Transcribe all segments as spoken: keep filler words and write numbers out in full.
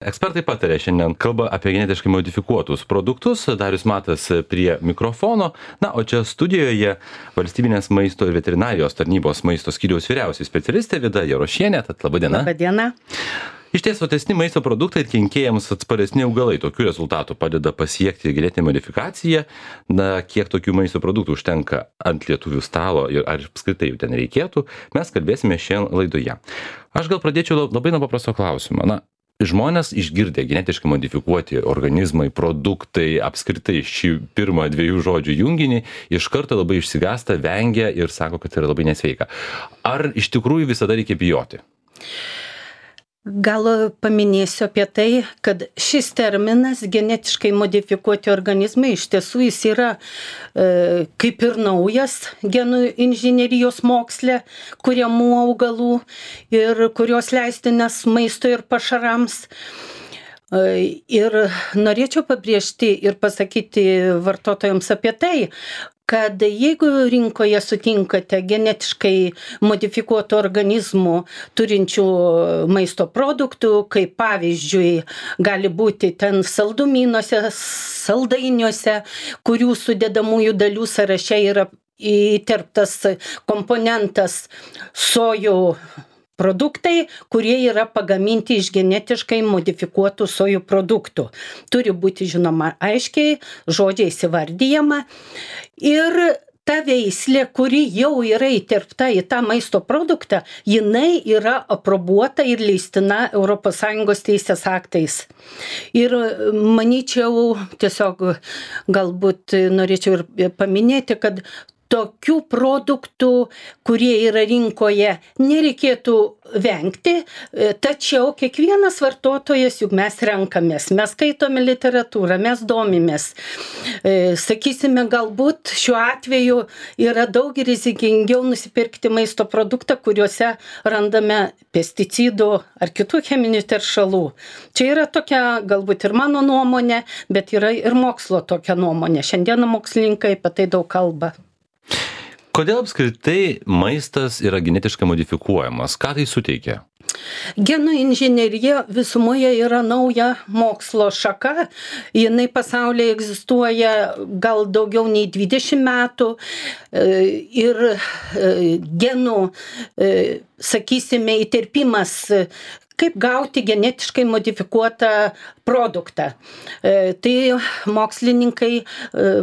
Ekspertai patarė šiandien kalba apie genetiškai modifikuotus produktus. Darius Matas prie mikrofono. Na, o čia studijoje Valstybinės maisto ir veterinarijos tarnybos maisto skyriaus vyriausioji specialistė Vida Jarošienė. Tad laba diena. Labą dieną. Ištiesotesni maisto produktai ir kenkėjams atsparesni augalai. Tokių rezultatų padeda pasiekti genetinę modifikaciją. Na, kiek tokių maisto produktų užtenka ant lietuvių stalo ir ar apskritai jų ten reikėtų, mes kalbėsime šiandien laidoje. Aš gal pradėčiau labai nuo paprasto klausimo. Na, žmonės išgirdę genetiškai modifikuoti organizmai, produktai, apskritai šį pirmą dviejų žodžių junginį, iš karto labai išsigąsta, vengia ir sako, kad tai yra labai nesveika. Ar iš tikrųjų visada reikia bijoti? Gal paminėsiu apie tai, kad šis terminas genetiškai modifikuoti organizmai iš tiesų jis yra e, kaip ir naujas genų inžinerijos moksle kuriamų augalų ir kurios leistinas maisto ir pašarams. E, ir norėčiau pabrėžti ir pasakyti vartotojams apie tai, kad jeigu rinkoje sutinkate genetiškai modifikuotų organizmų turinčių maisto produktų, kaip pavyzdžiui gali būti ten saldumynuose, saldainiuose, kurių sudedamųjų dalių sąraše yra įterptas komponentas sojų produktai, kurie yra pagaminti iš genetiškai modifikuotų sojų produktų. Turi būti žinoma aiškiai, žodžiais įvardyjama. Ir ta veislė, kuri jau yra įterpta į tą maisto produktą, jinai yra aprobuota ir leistina Europos Sąjungos teisės aktais. Ir manyčiau, tiesiog galbūt norėčiau ir paminėti, kad tokių produktų, kurie yra rinkoje, nereikėtų vengti, tačiau kiekvienas vartotojas, juk mes renkamės, mes skaitome literatūrą, mes domimės. Sakysime, galbūt šiuo atveju yra daug rizikingiau nusipirkti maisto produktą, kuriuose randame pesticidų ar kitų cheminių teršalų. Čia yra tokia galbūt ir mano nuomonė, bet yra ir mokslo tokia nuomonė. Šiandieną mokslininkai apie tai daug kalba. Kodėl apskritai maistas yra genetiškai modifikuojamas? Ką tai suteikia? Genų inžinerija visumoje yra nauja mokslo šaka. Jinai pasaulyje egzistuoja gal daugiau nei dvidešimt metų. Ir genų, sakysime, įterpimas, kaip gauti genetiškai modifikuotą produktą. Tai mokslininkai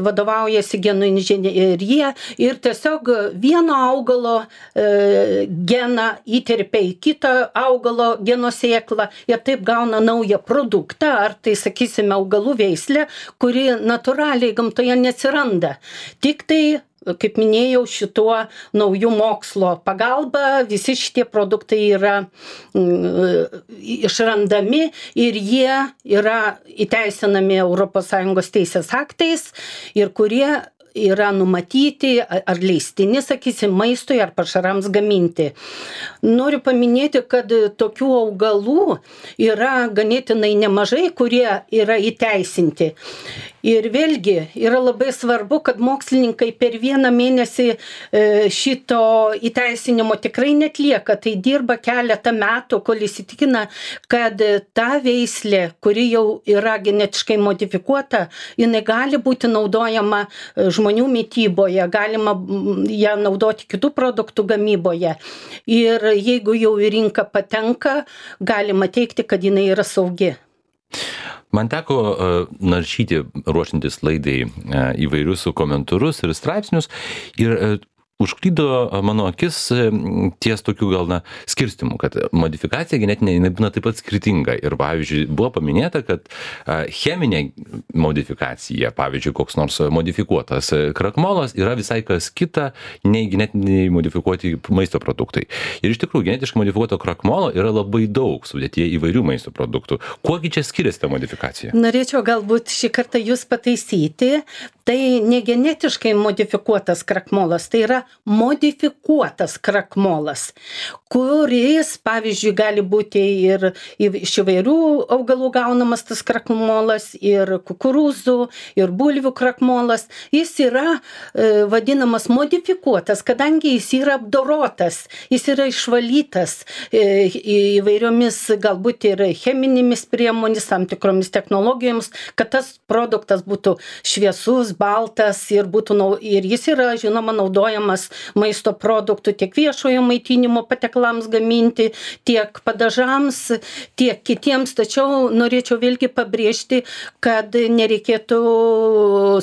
vadovaujasi genų inžinerija ir tiesiog vieno augalo geną įterpia į kitą augalo geno sėklą ir taip gauna naują produktą, ar tai, sakysime, augalų veislę, kuri natūraliai gamtoje neatsiranda. Tik tai, kaip minėjau, šituo naujų mokslo pagalba visi šitie produktai yra mm, išrandami ir jie yra įteisinami Europos Sąjungos teisės aktais ir kurie yra numatyti ar leistini, sakysim, maistui ar pašarams gaminti. Noriu paminėti, kad tokių augalų yra ganėtinai nemažai, kurie yra įteisinti. Ir vėlgi yra labai svarbu, kad mokslininkai per vieną mėnesį šito įteisinimo tikrai netlieka. Tai dirba keletą metų, kol įsitikina, kad ta veislė, kuri jau yra genetiškai modifikuota, jinai gali būti naudojama žmonių mityboje, galima ją naudoti kitų produktų gamyboje. Ir jeigu jau į rinką patenka, galima teigti, kad jinai yra saugi. Man teko uh, naršyti, ruošiantis laidai, uh, įvairius komentarus ir straipsnius ir uh, užklydo mano akis ties tokių gal na skirstimų, kad modifikacija genetinė jinai būna taip pat skirtinga. Ir pavyzdžiui, buvo paminėta, kad cheminė modifikacija, pavyzdžiui, koks nors modifikuotas krakmolas yra visai kas kita nei genetiniai modifikuoti maisto produktai. Ir iš tikrųjų, genetiškai modifikuoto krakmolo yra labai daug sudėtyje įvairių maisto produktų. Kuogi čia skiriasi ta modifikacija? Norėčiau galbūt šį kartą jūs pataisyti. Tai ne genetiškai modifikuotas krakmolas, tai yra modifikuotas krakmolas, kuris, pavyzdžiui, gali būti ir iš įvairių augalų gaunamas tas krakmolas, ir kukurūzų, ir bulvių krakmolas. Jis yra e, vadinamas modifikuotas, kadangi jis yra apdorotas, jis yra išvalytas e, įvairiomis galbūt ir cheminėmis priemonėmis, tam tikromis technologijomis, kad tas produktas būtų šviesus, baltas ir, būtų, ir jis yra, žinoma, naudojamas maisto produktų tiek viešojo maitinimo patiekalams gaminti, tiek padažams, tiek kitiems. Tačiau norėčiau vėlgi pabrėžti, kad nereikėtų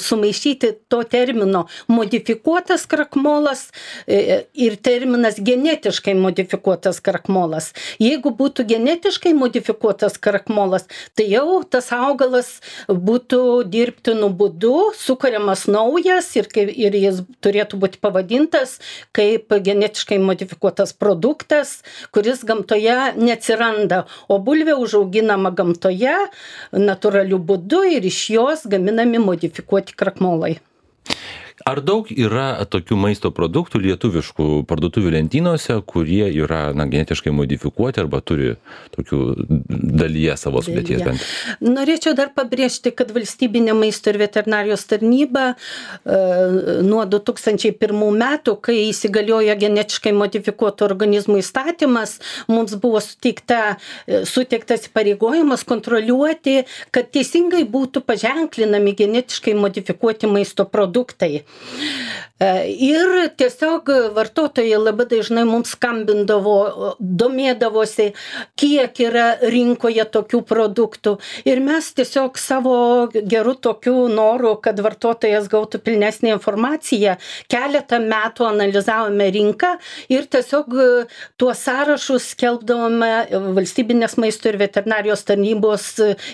sumaišyti to termino modifikuotas krakmolas ir terminas genetiškai modifikuotas krakmolas. Jeigu būtų genetiškai modifikuotas krakmolas, tai jau tas augalas būtų dirbtinu būdu sukuriamas naujas ir, ir jis turėtų būti pavadintas kaip genetiškai modifikuotas produktas, kuris gamtoje neatsiranda, o bulvė užauginama gamtoje natūraliu būdu ir iš jos gaminami modifikuoti krakmolai. Ar daug yra tokių maisto produktų lietuviškų parduotuvių lentynose, kurie yra na, genetiškai modifikuoti arba turi tokių dalyje savo sudėties bent? Norėčiau dar pabrėžti, kad valstybinė maisto ir veterinarijos tarnyba e, nuo du tūkstančiai pirmų metų, kai įsigaliojo genetiškai modifikuotų organizmų įstatymas, mums buvo suteikta, suteiktas įpareigojimas kontroliuoti, kad teisingai būtų paženklinami genetiškai modifikuoti maisto produktai. Ir tiesiog vartotojai labai dažnai mums skambindavo, domėdavosi, kiek yra rinkoje tokių produktų. Ir mes tiesiog savo gerų tokių norų, kad vartotojas gautų pilnesnį informaciją, keletą metų analizavome rinką ir tiesiog tuos sąrašus skelbdavome valstybinės maisto ir veterinarijos tarnybos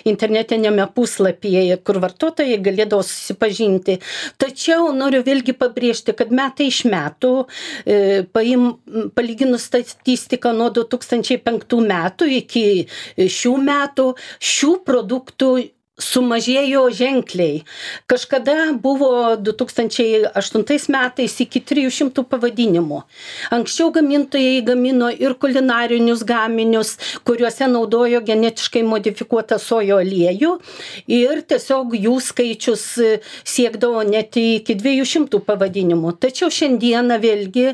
internetinėme puslapyje, kur vartotojai galėdavo susipažinti. Tačiau noriu vėlgi pabrėžti, kad metai iš metų, e, paim, palyginus statistiką nuo du tūkstančiai penktų metų iki šių metų, šių produktų sumažėjo ženkliai. Kažkada buvo du tūkstančiai aštuntais metais iki trijų šimtų pavadinimų. Anksčiau gamintojai gamino ir kulinarinius gaminius, kuriuose naudojo genetiškai modifikuotą sojo aliejų ir tiesiog jų skaičius siekdavo net iki dviejų šimtų pavadinimų. Tačiau šiandieną vėlgi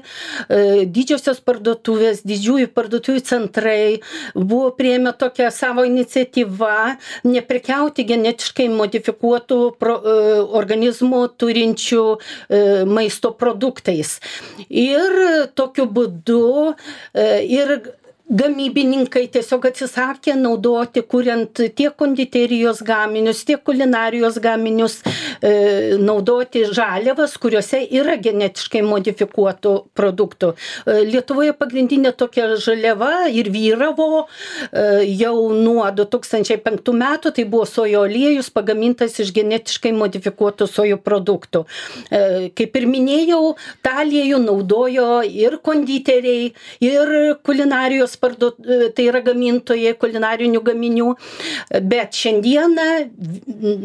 didžiosios parduotuvės, didžiųjų parduotuvių centrai buvo priėmę tokią savo iniciatyvą neprekiauti genetiškai modifikuotų pro, e, organizmų turinčių e, maisto produktais. Ir tokiu būdu e, ir gamybininkai tiesiog atsisakė naudoti, kuriant tiek konditerijos gaminius, tiek kulinarijos gaminius, e, naudoti žaliavas, kuriuose yra genetiškai modifikuotų produktų. E, Lietuvoje pagrindinė tokia žaliava ir vyravo e, jau nuo du tūkstančiai penktų metų, tai buvo sojo aliejus pagamintas iš genetiškai modifikuotų sojų produktų. E, kaip ir minėjau, tą aliejų naudojo ir konditeriai, ir kulinarijos parduot, tai yra gamintojai kulinarinių gaminių, bet šiandieną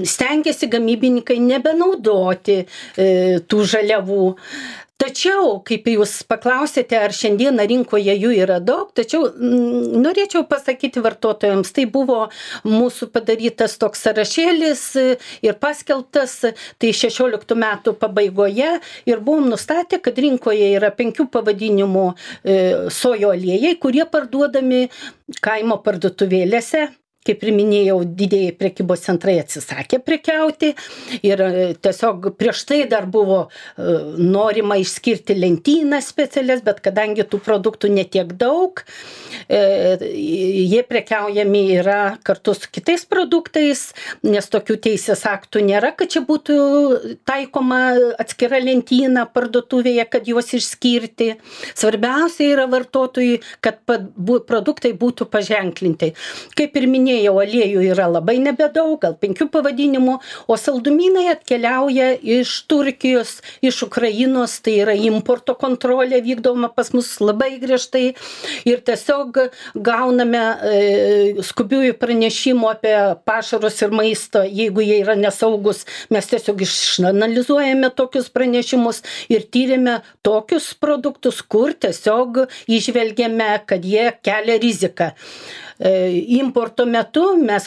stengiasi gamybininkai nebenaudoti e, tų žaliavų. Tačiau, kaip jūs paklausėte, ar šiandieną rinkoje jų yra daug, tačiau m, norėčiau pasakyti vartotojams, tai buvo mūsų padarytas toks sąrašėlis ir paskelbtas, tai šešioliktų metų pabaigoje ir buvom nustatę, kad rinkoje yra penkių pavadinimų e, sojo aliejai, kurie parduodami kaimo parduotuvėlėse. Kaip ir minėjau, didieji prekybos centrai atsisakė prekiauti ir tiesiog prieš tai dar buvo norima išskirti lentynas specialias, bet kadangi tų produktų netiek daug, jie prekiaujami yra kartu su kitais produktais, nes tokių teisės aktų nėra, kad čia būtų taikoma atskira lentyna parduotuvėje, kad juos išskirti. Svarbiausia yra vartotojui, kad produktai būtų paženklinti. Kaip ir minėjau, minėjau, aliejų yra labai nebedaug, gal penkių pavadinimų, o saldumynai atkeliauja iš Turkijos, iš Ukrainos, tai yra importo kontrolė vykdoma pas mus labai griežtai ir tiesiog gauname e, skubiųjų pranešimų apie pašarus ir maistą, jeigu jie yra nesaugus, mes tiesiog išanalizuojame tokius pranešimus ir tyrėme tokius produktus, kur tiesiog išvelgiame, kad jie kelia riziką. Importo metu mes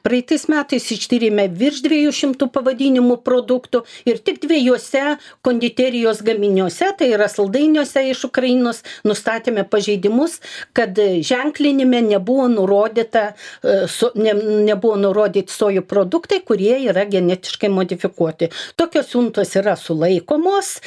praeitais metais ištyrėme virš dviejų šimtų pavadinimų produktų ir tik dviejose konditerijos gaminiuose, tai yra saldainiuose iš Ukrainos, nustatėme pažeidimus, kad ženklinime nebuvo nurodyta, ne, nebuvo nurodyti sojų produktai, kurie yra genetiškai modifikuoti. Tokios siuntos yra sulaikomos,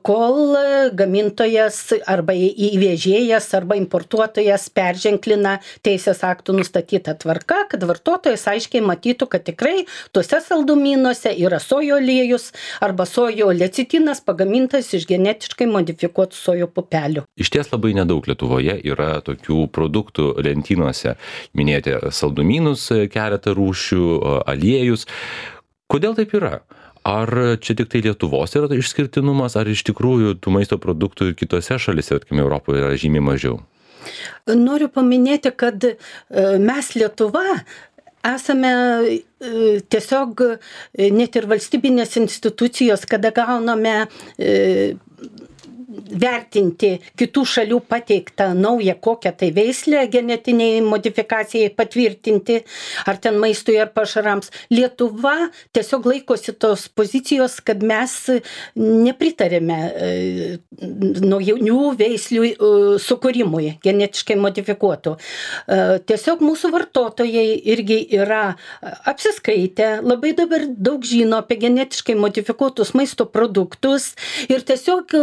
kol gamintojas arba įvežėjas arba importuotojas perženklina teisės aktų nustatyta tvarka, kad vartotojas aiškiai matytų, kad tikrai tuose saldumynuose yra sojo aliejus arba sojo lecitinas pagamintas iš genetiškai modifikuotų sojo pupelių. Iš ties labai nedaug Lietuvoje yra tokių produktų lentynose. Minėjote saldumynus, keletą rūšių, aliejus. Kodėl taip yra? Ar čia tik tai Lietuvos yra išskirtinumas, ar iš tikrųjų tų maisto produktų ir kitose šalise, tarkime, Europoje yra žymiai mažiau? Noriu paminėti, kad mes Lietuva esame tiesiog net ir valstybinės institucijos, kada gauname vertinti kitų šalių pateiktą naują kokią tai veislę genetiniai modifikacijai patvirtinti, ar ten maistui ar pašarams. Lietuva tiesiog laikosi tos pozicijos, kad mes nepritarėme naujų veislių sukūrimui, genetiškai modifikuotų. Tiesiog mūsų vartotojai irgi yra apsiskaitę, labai dabar daug žino apie genetiškai modifikuotus maisto produktus ir tiesiog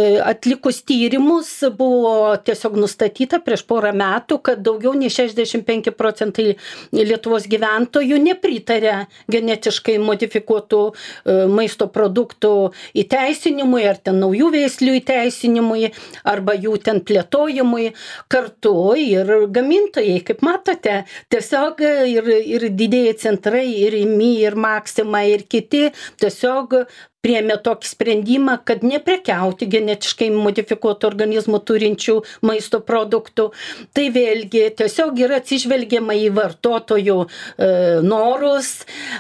atlikus tyrimus buvo tiesiog nustatyta prieš porą metų, kad daugiau nei šešiasdešimt penki procentai Lietuvos gyventojų nepritarė genetiškai modifikuotų maisto produktų įteisinimui, ar ten naujų veislių įteisinimui, arba jų ten plėtojimui. Kartu ir gamintojai, kaip matote, tiesiog ir, ir didieji centrai, ir Rimi, ir Maxima, ir kiti tiesiog priėmė tokį sprendimą, kad neprekiauti genetiškai modifikuotų organizmų turinčių maisto produktų. Tai vėlgi tiesiog yra atsižvelgiama į vartotojų e, norus,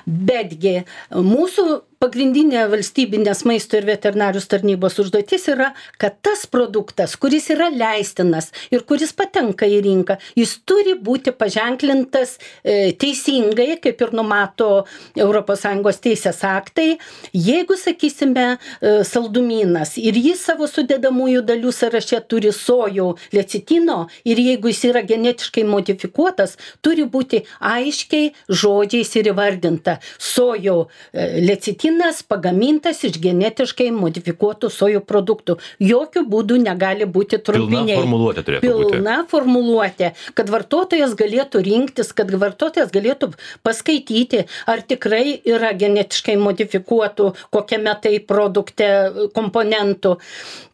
betgi mūsų pagrindinė valstybinės maisto ir veterinarijos tarnybos užduotis yra, kad tas produktas, kuris yra leistinas ir kuris patenka į rinką, jis turi būti paženklintas e, teisingai, kaip ir numato Europos Sąjungos teisės aktai. Jeigu, sakysime, e, saldumynas ir jis savo sudedamųjų dalių sąraše turi sojų lecitino ir jeigu jis yra genetiškai modifikuotas, turi būti aiškiai žodžiais ir įvardinta sojų e, lecitinas pagamintas iš genetiškai modifikuotų sojų produktų. Jokių būdų negali būti trumpiniai. Pilna formuluotė turėtų būti. Pilna formuluotė, kad vartotojas galėtų rinktis, kad vartotojas galėtų paskaityti, ar tikrai yra genetiškai modifikuotų kokiame tai produkte komponentų.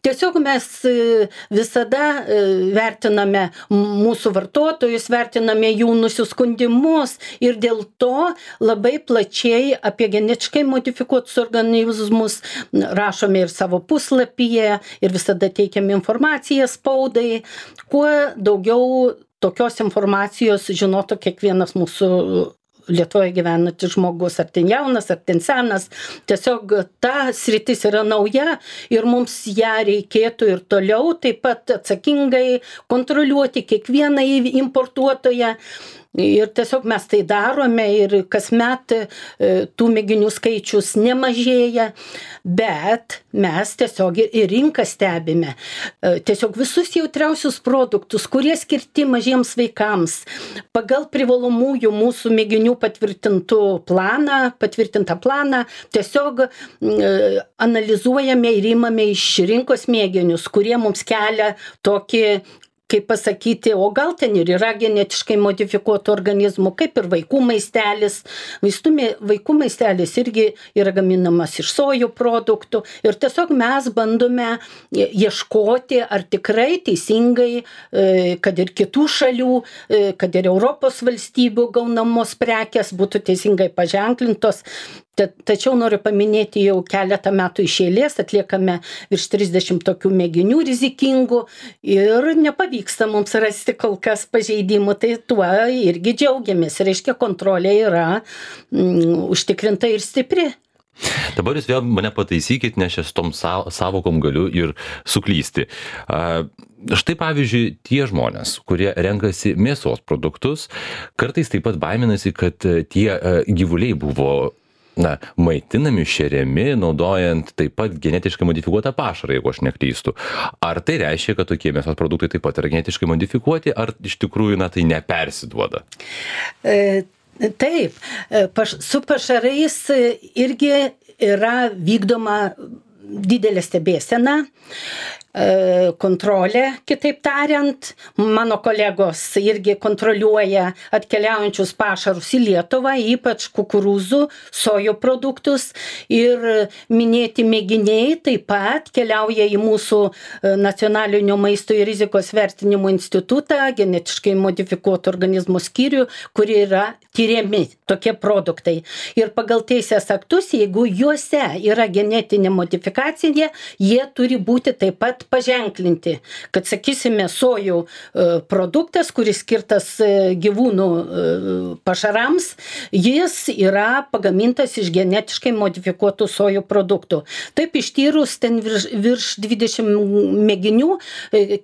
Tiesiog mes visada vertiname mūsų vartotojus, vertiname jų nusiskundimus ir dėl to labai plačiai apie genetiškai modifikuotus organizmus rašome ir savo puslapyje ir visada teikiame informaciją spaudai. Kuo daugiau tokios informacijos žinotų kiekvienas mūsų Lietuvoje gyvenantis žmogus, ar ten jaunas, ar ten senas. Tiesiog ta sritis yra nauja ir mums ją reikėtų ir toliau taip pat atsakingai kontroliuoti kiekvieną importuotoją. Ir tiesiog mes tai darome ir kasmet tų mėginių skaičius nemažėja, bet mes tiesiog ir rinką stebime. Tiesiog visus jautriausius produktus, kurie skirti mažiems vaikams, pagal privalomųjų mūsų mėginių patvirtintų planą, patvirtintą planą, tiesiog analizuojame ir imame iš rinkos mėginius, kurie mums kelia tokį kaip pasakyti, o gal ten ir yra genetiškai modifikuotų organizmų, kaip ir vaikų maistelis. Vaistų, vaikų maistelis irgi yra gaminamas iš sojų produktų ir tiesiog mes bandome ieškoti, ar tikrai teisingai, kad ir kitų šalių, kad ir Europos valstybių gaunamos prekės būtų teisingai paženklintos. Tačiau noriu paminėti, jau keletą metų iš eilės atliekame virš trisdešimt tokių mėginių rizikingų ir nepavyksta mums rasti kol kas pažeidimų, tai tuo irgi džiaugiamės. Reiškia, kontrolė yra mm, užtikrinta ir stipri. Dabar jūs vėl mane pataisykit, nes aš tom savokom galiu ir suklysti. Štai pavyzdžiui, tie žmonės, kurie renkasi mėsos produktus, kartais taip pat baiminasi, kad tie gyvuliai buvo na, maitinami, šeriami, naudojant taip pat genetiškai modifikuotą pašarą, jeigu aš neklystu. Ar tai reiškia, kad tokie mėsos produktai taip pat yra genetiškai modifikuoti, ar iš tikrųjų na, tai nepersiduoda? E, taip, paš, su pašarais irgi yra vykdoma didelė stebėsena, kontrolė, kitaip tariant. Mano kolegos irgi kontroliuoja atkeliaujančius pašarus į Lietuvą, ypač kukurūzų, sojų produktus, ir minėti mėginiai taip pat keliauja į mūsų Nacionalinio maisto ir rizikos vertinimo institutą, genetiškai modifikuotų organizmų skyrių, kur yra tyriami tokie produktai. Ir pagal teisės aktus, jeigu juose yra genetinė modifikacija, jie turi būti taip pat paženklinti, kad, sakysime, sojų produktas, kuris skirtas gyvūnų pašarams, jis yra pagamintas iš genetiškai modifikuotų sojų produktų. Taip, ištyrus ten virš, virš dvidešimt mėginių,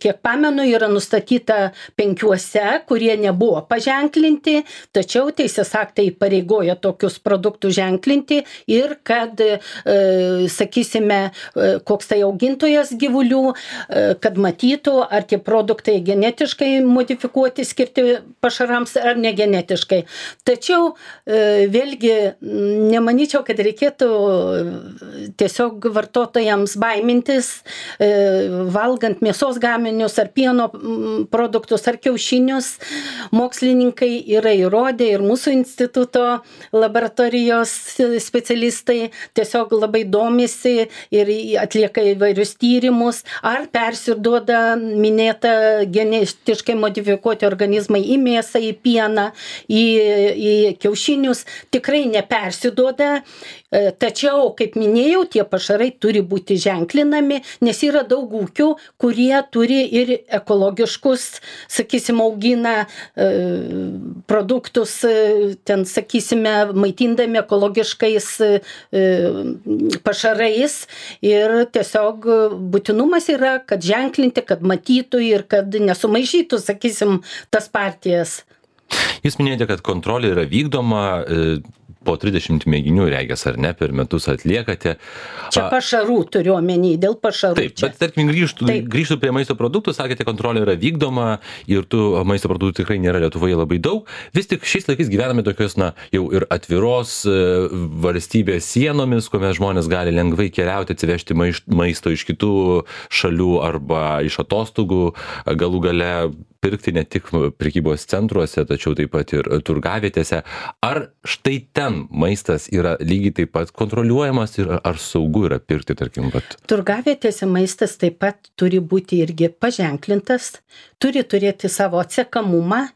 kiek pamenu, yra nustatyta penkiuose, kurie nebuvo paženklinti, tačiau teisės aktai pareigoja tokius produktus ženklinti ir kad, sakysime, koks tai augintojas gyvulių, kad matytų, ar tie produktai genetiškai modifikuoti, skirti pašarams, ar negenetiškai. Tačiau vėlgi nemanyčiau, kad reikėtų tiesiog vartotojams baimintis, valgant mėsos gaminius, ar pieno produktus, ar kiaušinius. Mokslininkai yra įrodę, ir mūsų instituto laboratorijos specialistai tiesiog labai domisi ir atlieka įvairius tyrimus, ar persiduoda minėta genetiškai modifikuoti organizmai į mėsą, į pieną, į, į kiaušinius. Tikrai nepersiduoda, tačiau, kaip minėjau, tie pašarai turi būti ženklinami, nes yra daug ūkių, kurie turi ir ekologiškus, sakysim, augina produktus, ten, sakysime, maitindami ekologiškais pašarais, ir tiesiog būtinumas yra, kad ženklinti, kad matytų ir kad nesumaišytų, sakysim, tas partijas. Jūs minėjote, kad kontrolė yra vykdoma, po trisdešimt mėginių, regis, ar ne, per metus atliekate. Čia pašarų turiu omeny, dėl pašarų. Taip, čia. Bet tarkim grįžtų, grįžtų prie maisto produktų, sakėte, kontrolė yra vykdoma ir tų maisto produktų tikrai nėra Lietuvoje labai daug. Vis tik šiais laikais gyvename tokios, na, jau ir atviros valstybės sienomis, kuomet žmonės gali lengvai keliauti, atsivežti maisto iš kitų šalių arba iš atostogų, galų gale pirkti ne tik prekybos centruose, tačiau taip pat ir turgavietėse. Ar štai ten maistas yra lygiai taip pat kontroliuojamas ir ar saugu yra pirkti, tarkim, pat? Turgavietėse maistas taip pat turi būti irgi paženklintas, turi turėti savo atsekamumą.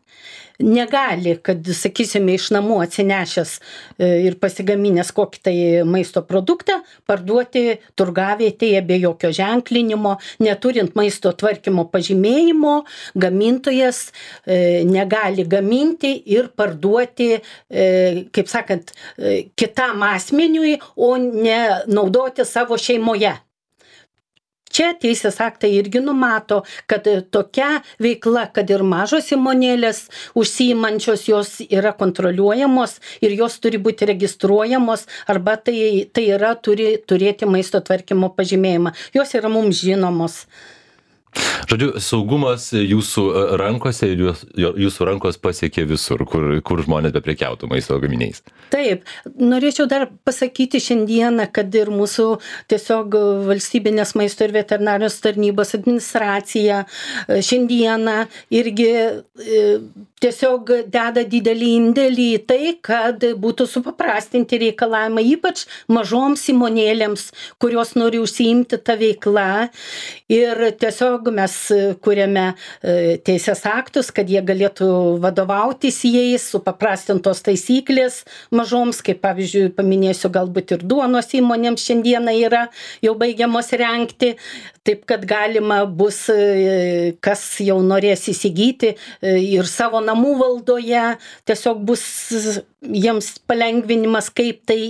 Negali, kad, sakysime, iš namų atsinešęs ir pasigaminęs kokį tai maisto produktą, parduoti turgavietėje be jokio ženklinimo, neturint maisto tvarkymo pažymėjimo, gamintojas negali gaminti ir parduoti, kaip sakant, kitam asmeniui, o ne naudoti savo šeimoje. Čia teisės aktai irgi numato, kad tokia veikla, kad ir mažos įmonėlės užsiimančios, jos yra kontroliuojamos ir jos turi būti registruojamos, arba tai, tai yra turi turėti maisto tvarkymo pažymėjimą. Jos yra mums žinomos. Žodžiu, saugumas jūsų rankose ir jūs, jūsų rankos pasiekia visur, kur, kur žmonės beprekiautų maisto gaminiais. Taip, norėčiau dar pasakyti šiandieną, kad ir mūsų tiesiog valstybinės maisto ir veterinarijos tarnybos administracija šiandieną irgi tiesiog deda didelį indėlį į tai, kad būtų supaprastinti reikalavimai, ypač mažoms įmonėlėms, kurios nori užsiimti tą veiklą. Ir tiesiog mes kuriame teisės aktus, kad jie galėtų vadovautis jais, supaprastintos taisyklės mažoms, kaip pavyzdžiui, paminėsiu, galbūt ir duonos įmonėms šiandieną yra jau baigiamos rengti, taip kad galima bus, kas jau norės įsigyti ir savo namų valdoje, tiesiog bus jiems palengvinimas, kaip tai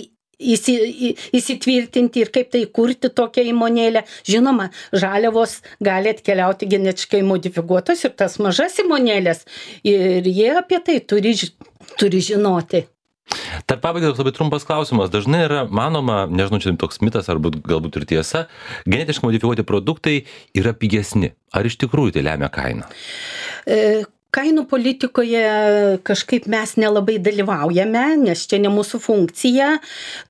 įsitvirtinti ir kaip tai kurti tokią įmonėlę. Žinoma, žaliavos gali atkeliauti genetiškai modifikuotos ir tas mažas įmonėlės ir jie apie tai turi, turi žinoti. Tarp pabaigai labai trumpas klausimas. Dažnai yra manoma, nežinau, čia toks mitas ar galbūt ir tiesa, genetiškai modifikuoti produktai yra pigesni. Ar iš tikrųjų tai lemia kainą? E, Kainų politikoje kažkaip mes nelabai dalyvaujame, nes čia ne mūsų funkcija,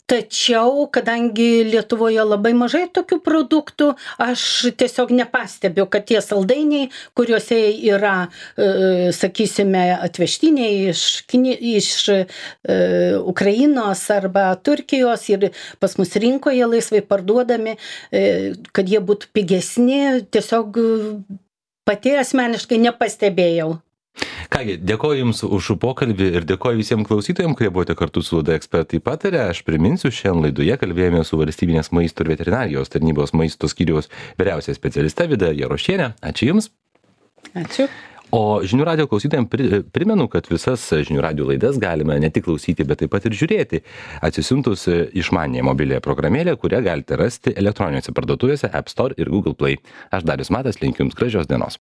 tačiau, kadangi Lietuvoje labai mažai tokių produktų, aš tiesiog nepastebiu, kad tie saldainiai, kuriuose yra, e, sakysime, atvežtiniai iš, iš e, Ukrainos arba Turkijos ir pas mus rinkoje laisvai parduodami, e, kad jie būtų pigesni, tiesiog pati asmeniškai nepastebėjau. Kągi, dėkoju Jums už pokalbį ir dėkoju visiems klausytojams, kurie buvote kartu su laida Ekspertai pataria. Aš priminsiu, šiandien laidoje kalbėjome su valstybinės maisto ir veterinarijos tarnybos maisto skyriaus vyriausia specialiste Vida Jarošienė. Ačiū Jums. Ačiū. O Žinių radijo klausytojams primenu, kad visas Žinių radijo laidas galime ne tik klausyti, bet taip pat ir žiūrėti, atsisiuntus išmaniąją mobiliąją programėlę, kurią galite rasti elektroninėse parduotuvėse App Store ir Google Play. Aš Darius Matas, linkiu Jums gražios dienos.